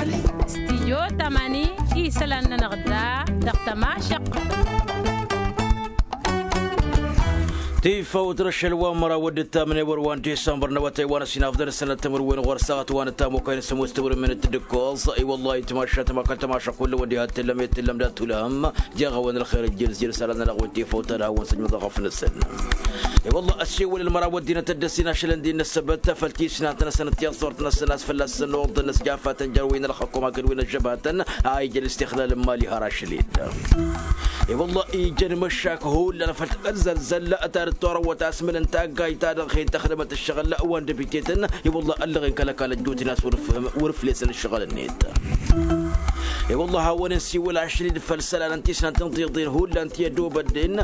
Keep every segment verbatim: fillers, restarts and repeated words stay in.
Stijyo tamani isălan-nănăɣ da dăɣ-tămašăqqăt. Tifawt răšăl wa n-măraw d-ǝttamnen i-wăr wa n-disămbăr n-awătay wa n-ăsinafḍăn ăssănăt timǝrwen ɣur-saɣăt wa n-ăttam okăyăn s-ămoos timǝrwen n-tǝddǝkkoẓ. I-wăllah itmašat ma kăl-tămašăq hullan wa n-diha t-tǝllăm i-tǝllăm dat-tulhăm. Jaɣ-awăn ălxer ǝjjǝl s-jir isălan-nănăɣ wi n-tifawt ad-hawăn-săjmăḍ ɣăf-năsăn. I-wăllah ăssiwǝl ălmăraw ăddinăt ăddăsinăšălăn di-năssăbăt făll-tisnatăn-năsăn d-tiẓẓurt-năsăn a-s fălla-săn oḍăn ăsjafat n-jer-wi n-ălxăkum hakd wi n-ăžžăbhatăn a ijăn istixlal n-imali har ašăl-dd. I-wălla ijăn imăššak hullan făll-tăzzălzăl ta dd-torăwăt asmǝl n-taggayt ta dăɣ-hin-tăxdămăt ǝššăɣǝl wa n-dăbitetăn. I-wălla ăllăɣen kăl-ăkall ăjjootnen a-s wăr-ǝflesăn ǝššăɣǝl-net. I-wălla hawăn-insiwǝl ašăl-dd făll-isălan n-tisnant n-tiḍeḍen hullan ti ădobădden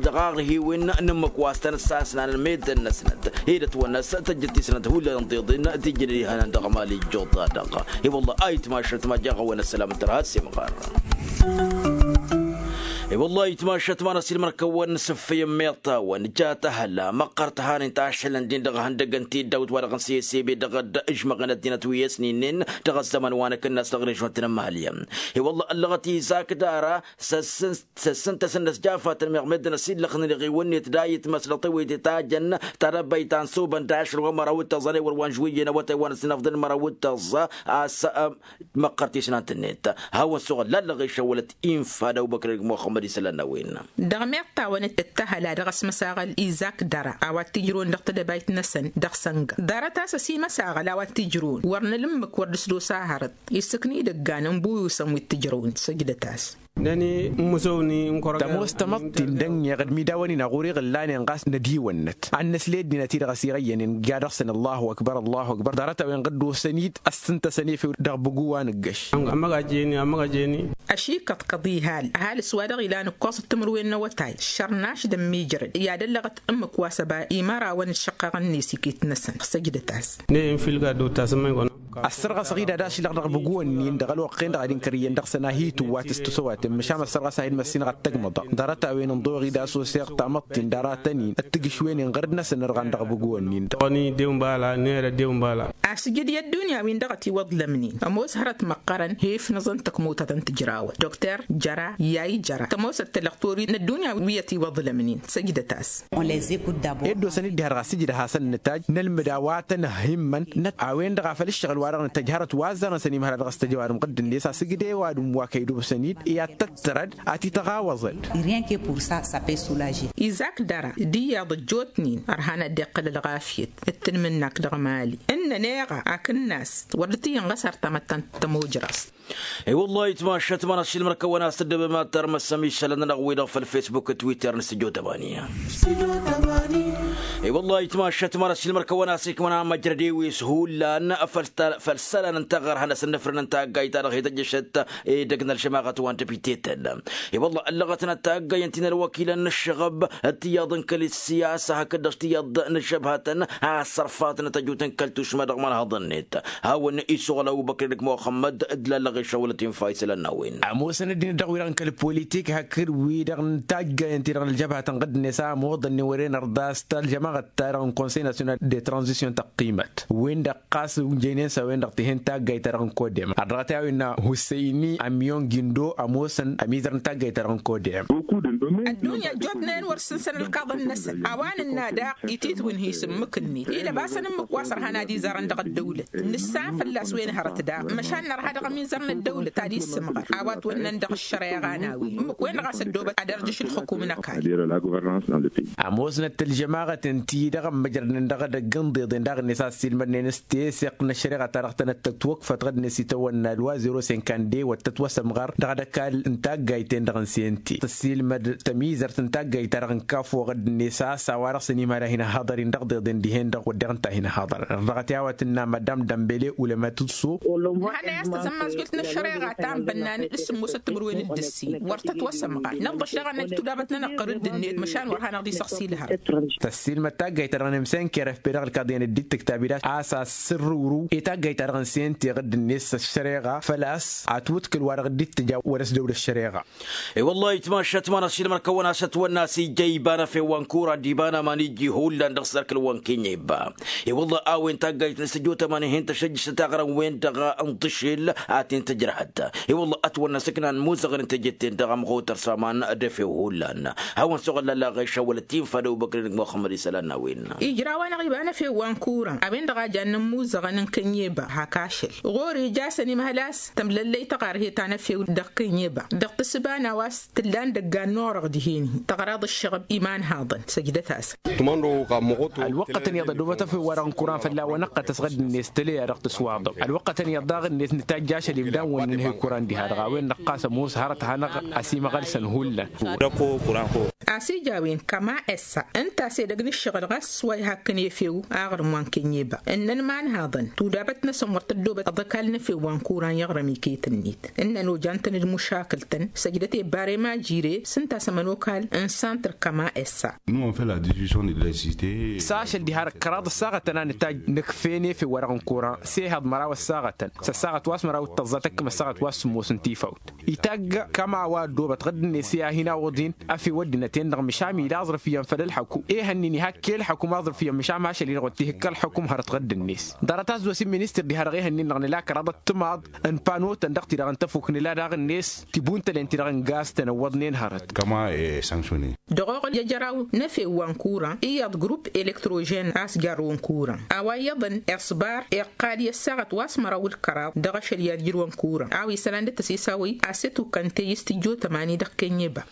dăɣ-aɣhiwen n-ǝmmǝk wa s-tăn-ăssasnan meddǝn-năsnăt ed ătwănna s-tăjjăt tisnant hullan n-tiḍeḍen ti ǝjǝnăn ihănan dăɣ-mali ăjjuḍ-ta-dăɣ. I-wălla a itmašăt ma jaɣ-awăn ăssălam n-tărha s-imɣar. I-wălla a itmašăt ma n-ăsilmăr-kăwăn n-asǝffăy n-meḍt-awăn ja tăhăla măqqăr tăhanen tašălăn-din dăɣ-ihăndăgg n-tiddawt wa dăɣ-n sesebe dăɣ-dd-ǝžmăɣăn ăddinăt wi ăsninen dăɣ-ăzzăman wa n-akǝnnas dăɣ-režon-tăn n-imali. I-wălla ăllăɣăt izak dara săssǝntăsăn n-ăsjafatăn meɣ meddǝn ăsillăxnen iɣiwăn-net d-a itmăs dăɣ-tewăyte ta jăn ta dăbbăy ta n-subăn d-ašăl wa n-măraw d-tăẓẓa n-ewăr wa n-žwǝyyăn awătay wa n-ăsnăfḍăn n-măraw d-tăẓẓa a-s măqqăr tisnant-net. Hawăn-suɣǝl lallăɣ išăwălăt infa d-awbăkr dăgg-muxămmăd isălan n-a-wen. Dăɣ-meḍt-awăn d-tăhăla dăɣ-asmăsaɣăl izak dăra a-wa t-ijrǝwăn dăɣ-tedăbayt-năsăn dăɣ-sănga ḍarăt-as ăsimăsaɣăl a-wa t-ijrǝwăn wăr nǝlǝmmǝk wăr dd-sădosa hărăt. Isǝknidăggan n-buyusăn wi t-ǝjrăwăn săjdăt-as. Năni n-măsăwni n-kăraga tămoos tamăḍt-in dănneɣ d-midawăn-in a ɣur-iɣǝllanen ɣas nădiwănnăt ad-năsle ăddinăt-i-dăɣ ăsirăyyănen. Ija dăɣ-săn ăllahu ăkbăr ăllahu ăkbăr ḍarăt-a-wen ɣǝddosăn-dd ăssǝntăsăn efew dăɣ-bǝgu wa n-ǝggăš. Ămăɣajeni ămăɣajeni. Ăšikăḍkăḍ ihal ăhalǝs wa dăɣ-ilan ǝkkoẓăt timǝrwen n-awătay šărnaš d-ămmiijrăd i-ad-ăllăɣăt ǝmmǝk wa s-ăba imărawăn d-išăqqăɣăn-net iket-năsăn. Săjdăt-as. Ney n-filga dd-tasǝmmăy-kăwăn. Ăssărɣăsăɣ-dd ad-ašlăɣ dăɣ-bǝgǝwăn-nin dăɣ-ălwăqq-en-dăɣ ad-inkăr iyyăn dăɣ-săn a hi-tǝwwa tǝstǝsăwaten măšan ăssărɣăsăɣ-dd măssinăɣ ăttăgmăḍăɣ ḍarăt-a-wen ǝnḍoɣ-dd a-s oseɣ tamăḍt-in dăɣ-ratăn-in d-tǝgǝšwen inɣăr-dd-năsăn ărɣan dăɣ-bǝgǝwăn-nin-dăɣ. Tăɣni dew n-bala nera dew n-bala. Asǝjǝd i-ăddunya-win-dăɣ ătiwăḍlămnen ămoos hărăt măqqărăn he-ifnăẓăn tăkmutăt n-tǝjrawăn dokter jăra i-a ijăra tămoosăt tălăɣ torit n-ăddunya wi ătiwăḍlămnen. Săjdăt-as. Ed dosăn-dd diha-dăɣ asǝjǝd ad-hasăn-nǝtaj nălmǝd a-wa tăn-ăhhimmăn. A-wen-dăɣ a făl ǝššăɣǝl-wa-dăɣ nǝtăj hărăt wa ăzzarăn săn imhăra dăɣ-s tăjăwadǝm ɣǝddǝn-net asǝjǝd i-ăwadǝm wa kăy-dd-obsăn-dd i-ad-tăttărăd ad-t-ităɣawăẓăd. Izak dăra d-iyyăḍ ăjjootnen ărhan ad-dd-iqqǝl ălɣafyăt d-tǝnmǝnnak dăɣ-mali ǝnnăn eɣa akǝnnas wăr dd-tǝyyǝnɣăs ar tamătta n-tămojrăẓt. I-wăllah itmašăt ma n-ašilmăr-kăwăn a-s tǝddǝbăm ad-tarmăsăm isălan-nănăɣ-wi-dăɣ făll-fesbuk d-twitter n-stujo tămani. I-wăllah itmašăt ma n-ašilmăr-kăwăn a-s ikmăna măjrăd-ewis hullan făll-isălan n-taɣărha n-asǝnnǝfrǝn n-taggayt-ta-dăɣ hi-tăjjăšăt edăgg n-ălžămaɣăt wa n-dăbiteten. I-wăllah ăllăɣătnăt taggayăn ti n-ălwăkilăn n-ǝššăɣăb d-tiyyăḍ n-kăl-siyasa hakd-dăɣ tiyyăḍ n-ăžžăbhatăn a ăssărfatnăt ăjut n-kăl-tušma dăɣ-imanhăḍăn-net. Hawăn-isuɣǝl ăbubăkr d-muxămmăd d-lallăɣ išăwălăt infa isălan n-a-wen. Ămoosăn ăddinăt dăɣ-wi-dăɣ n-kăl-politik hakd wi-dăɣ n-taggayăn-ti-dăɣ n-ălžăbhatăn ɣǝddǝnet a ămoḍăn-nen wăren ărḍas ta ălžămaɣăt-ta-dăɣ n-konsăy nasyonal de tranzisyon tăqqimăt wen-dăɣ ɣas ǝnjăynen s-a-wen-dăɣ tihen taggayt-ta-dăɣ n-kodem ărdăɣăt i-a-wen n-hussăyni ămyon gindo ămoosăn ămizăr n-taggayt-ta-dăɣ n-kodem. Ăddunya ăjjootnen wăr sǝnsăn ǝlkaḍăn-năsăn a-wa nǝnna daɣ ititwǝnhi s-ǝmmǝk-net ilăbasăn ǝmmǝk wa s-ărhan ad-izarăn dăɣ-ăddăwlăt nǝssan fălla-s wen hărăt daɣ măšan nărha dăɣ-ămizăr n-ăddăwlăt ad-issǝmɣăr a-wa ătwănnăn dăɣ-ăššăreɣa n-a-wen ǝmmǝk-wen-dăɣ a-s ăddoobăt ad-ărjǝš ǝlxǝkum n-ăkall. Ămoosnăt ălžămaɣăt ǝnta-i-dăɣ ămmăjrădnen dăɣ-edăgg n-iḍeḍen daɣ-net a ăssiilmădnen s-teseɣt n-ăššăreɣa-ta-dăɣ tănăt-tătwăkfăt ɣǝdnet itawănna ălwa zero sinkande wăr tătwăsămɣar dăɣ-ad-ăkall n-taggayt-en-dăɣ n-sente tăssiilmăd tămizărt n-taggayt-ta-dăɣ n-kafo ɣǝdnet a-s a-wa-dăɣ s-ănimhăd a hin-ăhhăḍăr-in dăɣ-iḍeḍen dihen-dăɣ wădden ǝnta a hin-ăhhăḍăr ărḍăɣăt i-a-wa tǝnna madam dămbele ulăma tǝḍsu. Hănăy a-s tăsămmazjult. Ăššăreɣa ta n-bănnan d-sǝmmosăt timǝrwen d-ǝssin wăr tătwăsămɣar năḍḍăš dăɣ-anăj tudabăt-nănăɣ ɣur-dd-net măšan wăr hanăɣ-dd-isăɣsi lăhăr. Tăssiilmăd taggayt-ta-dăɣ n-imsen keref pe-dăɣ ǝlkaḍ iyyăn dd-ittǝktab-dd a-s asǝrrǝwrǝw i-taggayt-ta-dăɣ n-sentăɣ d-net s-ăššăreɣa făl-a-s atwǝtkǝl wa dăɣ-dd-ittǝja wăr-ăsdăwd ăššăreɣa. I-wăllah itmašat manăɣ-silmăr-kăwăn a-s ătwănna a-s ija iba n-efew wa n-kuran d-iba n-aman iji hullan dăɣ-s erk ǝlwăn kenya iba. I-wăllah a-wen taggayt n-sǝjjotăman ihen tăšăjjǝšăt aɣrăn-wen-dăɣ n-tǝšel a ten-tǝjrăhăt. I-wăllah ătwănna s-ǝknan muzăɣăn n-tejet-ten-dăɣ ămɣutăr s-aman d-efew hullan. Hawăn-soɣălla laɣeša wăla t-infa d-ăbubăkr-in-dăɣ muxămmăd isălan n-a-wen. Ijrawăn-aɣ iba n-efew wa n-kuran a-wen-dăɣ a jannen muzăɣăn n-kănyeba hak ašăl ɣur-ija a-s ănimhăl a-s tămlăllăy tăɣarhet ta n-efew dăɣ-kănyeba dăɣ-tǝssǝba n-a-wa s-tǝllan dăggan n-orăɣ dihen-hi tăɣraḍ ǝššăɣăb imanhaḍăn săjdăt-asăn. Ălwăqqătăn iyyăḍ ădobăt efew-wa-dăɣ n-kuran fălla-wăn ăqqătăs ɣǝdd-net tălăya dăɣ-tǝswaḍăw ălwăqqătăn iyyăḍ daɣ-net nǝtajj ašăl ibda n-wănnăn hi-kuran diha-dăɣ a-wen-dăɣ ɣas ămoos hărăt a hanăɣ-ăsimăɣălsăn hullan. A-s ija a-wen kăma essa ǝnta a-s edăgg n-ǝššăɣǝl ɣas wa ihakkăn efew aɣrǝm wa n-kănyeba ǝnnăn imanhaḍăn tudabăt-năsăn wăr tăddobăt ăḍăkal n-efew wa n-kuran i-aɣrǝm iket-net ǝnnăn ojan-tăn d-mušakǝl-tăn săjdăt ebbarem ajire s-ǝnta a-s ămănokal n-santăr kăma essa. S-ašăl diha-dăɣ kăraḍ ăssaɣătăn a nǝtajj nǝkfen efew-wa-dăɣ n-kuran s-ehăḍ măraw ăssaɣătăn s-ăssaɣăt wa s-măraw d-tăẓẓa tăkkăm ăssaɣăt wa s-sǝmmos n-tifawt itagg kăma wa ăddoobăt ɣǝdd-net i-ad-hin-awǝḍ-in. Efew ăddinăt-en-dăɣ mǝšan ila aẓrǝf iyyăn făll-ălḥăku ehăn-in ihak i-ălḥăku ma aẓrǝf iyyăn mǝšan ma ašăl-i-dăɣ wăr t-ihǝkk ălḥăkum hărăt ɣǝdd-net. Ḍarăt a-s dd-osin ministăr diha-dăɣ ehăn-in-dăɣ nǝla kăraḍăt timaḍ n-panotăn dăɣ-ti-dăɣ n-tafuk nǝla daɣ-net tibuntălen-ti-dăɣ n-gaz-tăn ăwwăḍnen hărăt. Dăɣ-oɣǝl i-ajăraw n-efew wa n-kuran iyyăḍ grupp elektrožen a-s jarrăwăn kuran a-wa iyyăḍăn iṣbar iqqal i-ăssaɣăt wa s-măraw d-kăraḍ dăɣ-ašăl i-ad-ijrǝwăn kuran a-wa isălan d-tăsisawăy a-s ătukăn teyǝs tǝjjotămani dăɣ-kănyeba.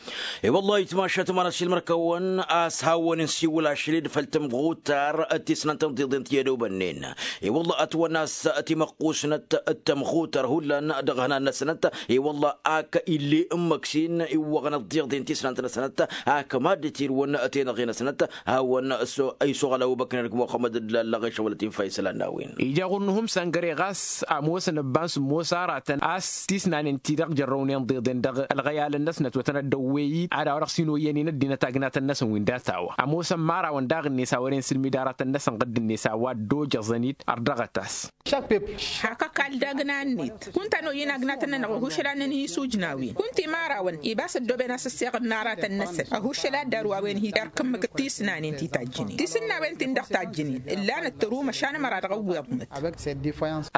I-wăllah itmašat manăɣ-silmăr-kăwăn a-s hawăn-insiwǝl ašăl-dd făll-tamɣutar d-tisnant n-tiḍen ti ădobănnen. I-wăllah ătwănna a-s timăqqusnăt d-tamɣutar hullan dăɣ-ihnan-năsnăt. I-wăllah ak ill'-e ǝmmǝk s-in iwwăɣăn ăḍḍiḍen tisnant-năsnăt ak mad-dd-tirǝwăn tenăɣe-năsnăt. Hawăn-isoɣăl ăbubăkr n-erk muxămmăd d-lallăɣ išăwălăt infa isălan n-a-wen. Ija ɣur-nuhǝm săngăre ɣas ămoosăn ǝbba n-sǝmmos aratăn a-s tisnanen-ti-dăɣ jărrăwnen ḍeḍen dăɣ-ălɣăyalăn-năsnăt wa tăn-ăddăwwey-dd ad-a-wa dăɣ-s hin-oyyăn-in ăddinăt agnatăn-năsăn wi n-data-wa ămoosăn imărawăn daɣ-net a wăren sǝlmid aratăn-năsăn ɣǝdd-net a-wa dd-ojăẓăn-dd ărdăɣăt-as. Hak ăkall d-agna-net kunta n-oyy inagnatăn-nănăɣ ăhušăl ad-năn-hi-isujnawen kunta imărawăn ibas ăddooben a-s ăssiɣǝd n-aratăn-năsăn ăhušăl ad-dd-arwawen hi-erk ǝmmǝk d-tisnanen ti tajjǝnen tisǝnnawen-tin-dăɣ tajjǝnen ǝllanăt tăru măšan ămăra dăɣ-ăwweḍnăt.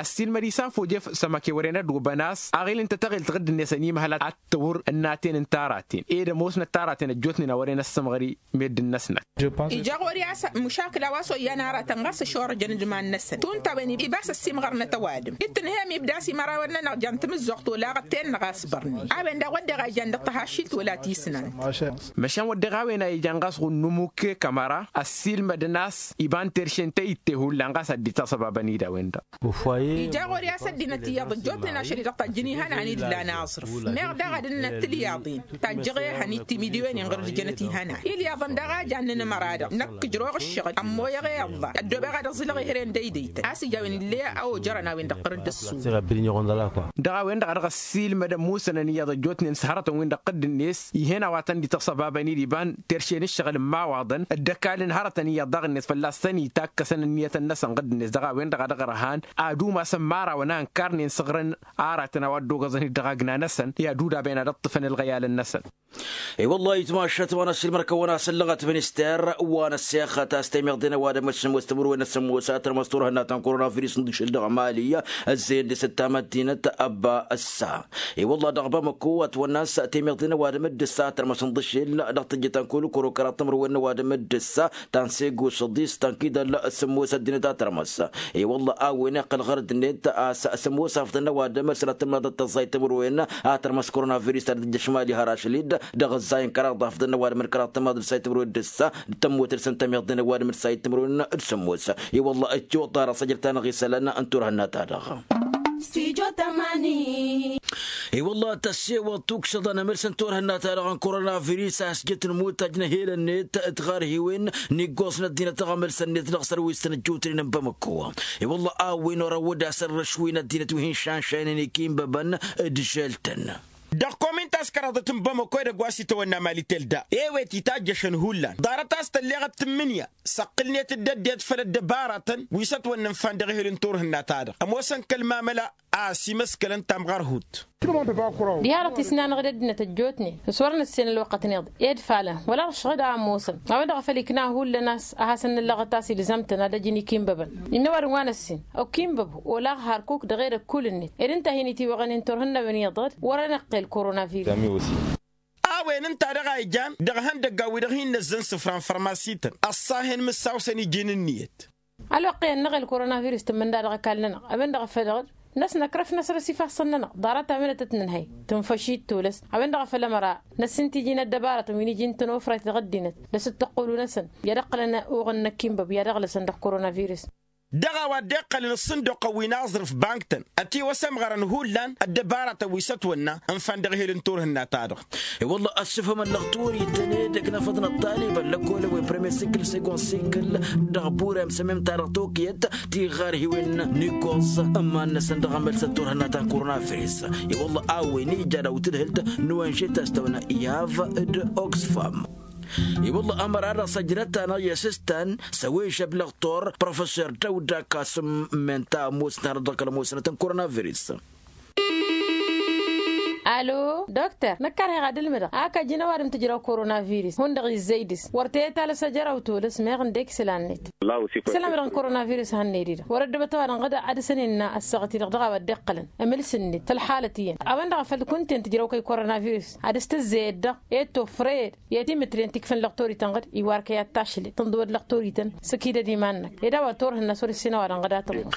Ăssiilmăd isafoj efăl sămăke wăren ădobăn a-s aɣil ǝnta taɣelt ɣǝdd-net ănimhăl ad-tăwăr ǝnnaten n-taraten ed ămoosnăt taraten ăjjootnen a wăren ăssămɣăr i-meddǝn-năsnăt. Ija ɣur-i a-s măšakǝl a-wa s-oyyan aratăn ɣas ăšorăjăn d-iman-năsăn tunta a-wen ibas ăssimɣărnăt ăwadǝm d-tǝnhăyăm ibda a-s imărawăn-nănăɣ jan tamǝzzuɣt olaɣăt-ten-năɣ a-s bărnen a-wen daɣ wădden a ijan dăɣ-tăhaššilt wăla tisnant. Măšan wădden a-wen a ijan ɣas ɣur-numukke kămăra ăssiilmădăn a-s iba n-terše n-tăyǝtte hullan ɣas ad-dd-ităsăbabăn-dd a-wen-dăɣ. Ija ɣur-i a-s ăddinăt iyyăḍ ăjjootnen ašăl-i-dăɣ tajjǝn ihănan-dd lan aẓrǝf meɣ daɣ ad-ǝnnăt tilyaḍen tajjăɣ ehăn-dd timidǝwen-in ɣur-dd-jănăt ihănan ilyaḍăn daɣ a jannen ămăra-dăɣ năkk ǝjrăwăɣ ǝššăɣǝl ămmoyăɣ i-iḍla ăddobeɣ ad-ăẓẓǝlăɣ i-hărăn dăydăytăn a-s ija a-wen ill'-e a ojărăn a-wen-dăɣ tărǝd ăssu. Dăɣ-a-wen-dăɣ a dăɣ-ăssiilmădăn musănăn iyyăḍ ăjjootnen s-hărătăn-win-dăɣ ɣǝdd-net ih'-en a-wa tăn-dd-ităsăb abăn-dd iba n-terše n-ǝššăɣǝl n-imawaḍăn dd-ăkall n-hărătăn iyyăḍ daɣ-net fălla-s tăn-itakkăsăn ǝnniyătăn-năsăn ɣǝdd-net dăɣ-a-wen-dăɣ a dăɣ-ărhan ad-umasăn imărawăn a ǝnkarnen s-ăɣrăn aratăn a-wa dd-ogăẓăn-dd dăɣ-agna-năsăn i-ad-udaben ad-ǝṭṭǝfăn ălɣăyalăn-năsăn. I-wăllah itmašat wa n-ăssiilmăr-kăwăn a-s ăllăɣăt minister wa n-ăssexăt a-s temeḍe n-ăwadǝm d-sǝmmos timǝrwen n-sǝmmos a tărmăs turhǝnna ta n-koronavirus n-dăɣ-išǝl dăɣ-mali. Ăzzeyăn dăɣ-s ăttamăddinăt ăbba ăssa i-wăllah dăɣ-bamăko ătwănna a-s temeḍe n-ăwadǝm d-ǝssa a tărmăs n-dăɣ-išǝl dăɣ-tǝjjǝt ta n-kăwăl-kăro kăraḍ timǝrwen n-ăwadǝm d-ǝssa ta n-sego săḍis ta n-kidăl sǝmmos ăddinăt a tărmăs. I-wălla a-wen iqqăl ɣărăt-net a-s sămoos afḍăn n-ăwadǝm sănatăn maḍăt tăẓẓayt timǝrwen a tărmăs koronavirus ta dd-ăjjăš mali har ašăl-dd dăɣ-ăzzayăn kăraḍ afḍăn n-ăwadǝm d-kăraḍ tămaḍ d-sayt timǝrwen d-ǝssa d-tămmotăd săn tămiḍăn n-ăwadǝm d-sayt timǝrwen d-sămoos. I-wălla ăccoḍ ăra săjrăt-anăɣ isălan n-turhǝnna-ta-dăɣ. Stujo tămani. I-wălla tăssewăḍ tuksăḍăn amǝlsăn turhǝnna-ta-dăɣ n-korona virus a-s jăt n-imutaj n-ehel-net d-tiɣarhiwen n-iggoẓ n-ăddinăt dăɣ-amǝlsăn-net dăɣ-sărwis-tăn ăjjuutnen n-bamăkko. I-wălla a-wen orăwăd a-s ărrăšwin ăddinăt wi hin-šanšaynen ikinbăbăn d-žel-tăn. Dăɣ-komin ta s-kăraḍăt n-bamăkko edăgg wa s-itawănna mali telda, ewet itajjăšăn hullan ḍarăt a-s tălleɣăt tǝmmǝnǝya s-ăqqǝlnet d-ăddinăt făll-ăddăbaratăn wi s-ătwănnănfan dăɣ-ehel n-turhǝnna-ta-dăɣ ămoosăn kăl-mamăla a-s imăskălăn tamɣărhut. Diha-dăɣ tisnanăɣ d-ăddinăt ăjjootnen s-wăr năssen ălwăqqătnen ed falăn wăla ălšăɣ d-a ămoosăn a-wen-dăɣ a făl ikna hullan a-s ad-hasăn-nǝllăɣăt a-s ilzam-tăn ad-ăj n-ikinbăbăn. Innă ăwadǝm wa năssin okinbăbu olaɣ harkuk dăɣ-edăgg kull-net ed ǝnta a hin-itiwăɣăn i-n-turhǝnnawen iyyăḍ-dd wăr-enăqqel koronavirus. A-wen ǝnta-dăɣ a ijan dăɣ-ihăndăggan-wi-dăɣ hin-năzzăn isǝfra n-fărmasităn ăṣṣahen mǝssawsăn iji n-ǝnniyăt. Ălwăqq iyyăn n-eɣel koronavirus tǝmmǝnda dăɣ-ăkall-nănăɣ a-wen-dăɣ a făl dăɣ-dd năsnăkrăf năsrăs ifassăn-nănăɣ ḍarăt a-wen ad-tăt-nǝnhăy tǝnfăš-i d-tulăs. A-wen-dăɣ a făl ămăra năssin tiji n-ăddăbarătăn wi n-iji n-tănofrayt dăɣ-ăddinăt d-asǝttăqqulu-năsăn i-ad-ǝqqǝlăn uɣǝn n-ăkkinbăb i-ad-ăɣlăsăn dăɣ-koronavirus. Dăɣ-a-wa dd-iqqălăn ǝṣṣǝnduqăn wi n-aẓrǝf bank-tăn ătiwăsămɣărăn hullan ăddăbaratăn wi s-ătwănna ǝnfan dăɣ-ehel n-turhǝnna-ta-dăɣ. I-wălla ăssufăm ăllăɣ turiten edăgg n-afăḍăn ăṭṭalibăn lăkkolăn wi premier sikǝl segon sikǝl dăɣ-burem sămem-ta-dăɣ tokiyăt tiɣarhiwen n-iggoẓ ǝmman-năsăn dăɣ-amălsăn turhǝnna ta n-koronavirus. I-wălla a-wen ija daw-tǝdhǝlt n-oenže ta s-tăwănna yav d-oxfam. I-wălla ămăra-dăɣ s-ăjrăt-anăɣ i-asǝstan s-awežăb lăɣtor professor dăwda kasǝm. Menta ămoosnăt-anăɣ dăɣ-kăl-ămoosnăt n-koronavirus. Alo dokter năkk karheɣ ad-ǝlmǝdăɣ ak ăjǝn ăwadǝm tǝjraw koronavirus hundăɣ izzăy dăɣ-s wăr t-e-talăs ajăraw tolăs meɣ ǝndek isălan-net. Isălan-dăɣ n-koronavirus hanned-i-dăɣ wăr-ăddăbăt ăwadǝm ɣǝd ad-dăɣ-săn innă ăssaɣăt-i-dăɣ dăɣ-a-wa dd-iqqălăn ămǝls-net făll-halăt iyyăn a-wen-dăɣ a făl kunta-en tǝjraw kăy-koronavirus ad-dăɣ-s tǝzzeyăd dăɣ-e d-tofrăyăd i-timǝtre n-tikfăn lăɣtorităn ɣǝd iwar kăy-ad-tašlăd tǝnḍǝwăd lăɣtorităn s-ăkidăd iman-năk ed a-wa turhǝnna s-wăr ǝssin ăwadǝm ɣǝd a tămoos.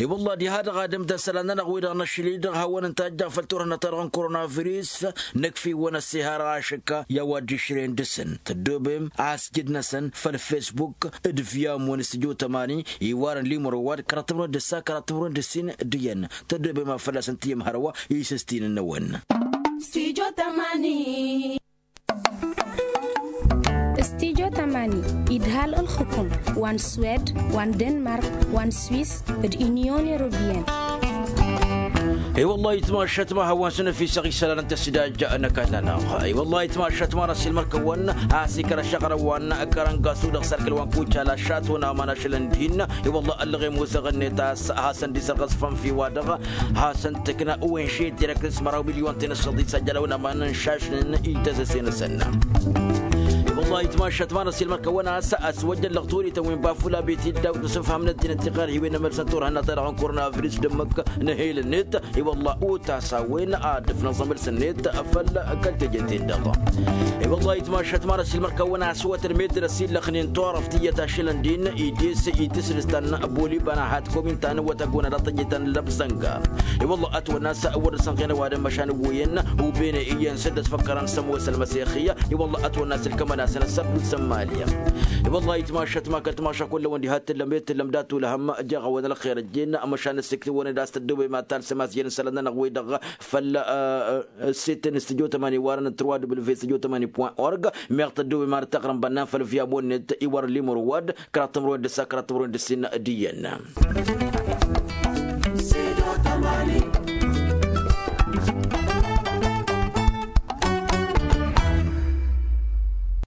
I-wălla diha-dăɣ ad-ǝmdăn isălan-nănăɣ-wi-dăɣ năšli-dăɣ hawăn-ǝnta a ǝjjaɣ făll-turhǝnna-ta-dăɣ n-koronavirus. Năkf'-iwăn ăssihar ašǝkka i-a-wa dd-išrăyăn dăɣ-săn tăddobem a-s jǝd-năsăn făll-fesbuk d-via amwăn s-tijăw tămani iwarăn limăro wa d-kăraḍ timǝrwen d-ǝssa kăraḍ timǝrwen d-ǝssin d-iyyăn. Tăddobem a fălla-săn t-iyyăm hărwa isǝstinăn-năwăn. Stijo tamani. Stijo tamani idhal ǝlxǝkum wa n-swed wa n-denmark wa n-swis d-inyon europiyăn. I-wăllah itmašat ma hawăn-săn ăfisăɣ isălan n-tăsidaj n-ăkall-nănăɣ. I-wăllah itmašat ma n-ăsilmăr kăwăn a-s ikăr ăššăɣrăwăn kărăngasu dăɣ-sărkăl wa n-kucala šatwăn aman ašălăn din. I-wăllah ăllăɣem uzăɣ-net a-s hasăn-dd-isărɣăsfăn fiwa-dăɣ hasăn-tǝkna uwen šet irăknǝs măraw milyon tenăsăḍi s-ajălawăn aman n-šašnen ităsăse-năsăn. Wăllah itmašat ma n-ăsilmăr kăwăn a-s ăswăjjăn lăɣturităn wi n-bafula beti dd-awt n-sǝfham n-ăddinăt tiɣarhiwen n-amălsăn turhănna-ta-dăɣ n-koronavirus d-ǝmmǝk n-ehel-net. I-wăllah utas a-wen ad-dd-ǝfnăẓ amălsăn-net făll-kăl-teje-ten-dăɣ. I-wăllah itmašat ma n-ăsilmăr kăwăn a-s wătăn meddǝn ăsillăxnen turăft iyyăt ašălăn din ides itǝsdǝs ta n-boliban a hat komin ta n-wătăgona dăɣ-tăjje ta n-lăbzănga. I-wăllah ătwănna a-s wăr dăr-sănɣen ăwadǝm măšan ǝwwǝyăn ubene iyyăn săr dd-ăsfăkkărăn s-ămoos ălmăsexiyya. I-wăllah ătwănna a-s ǝlkămăn-asăn ăssărdusa n-mali. I-wăllah itmašat ma kăl-timaša kullăwăn diha t-tǝllăm i-t-tǝllăm dat-ulhăm. Jeɣ-awăn ălxer ăjjeen măšan ǝssiktǝwăn-dd a-s tăddobem ad-talsăm a-s jăn isălan-nănăɣ-wi-dăɣ făll-site n-studio tămani warăn n-trwa w studio tămani point org. Meɣ tăddobem ad-tăɣrǝm bănnan făll-via monnet iwar limur wad kăraḍ timǝrwen d-ǝssa kăraḍ timǝrwen d-ǝssin d-iyyăn.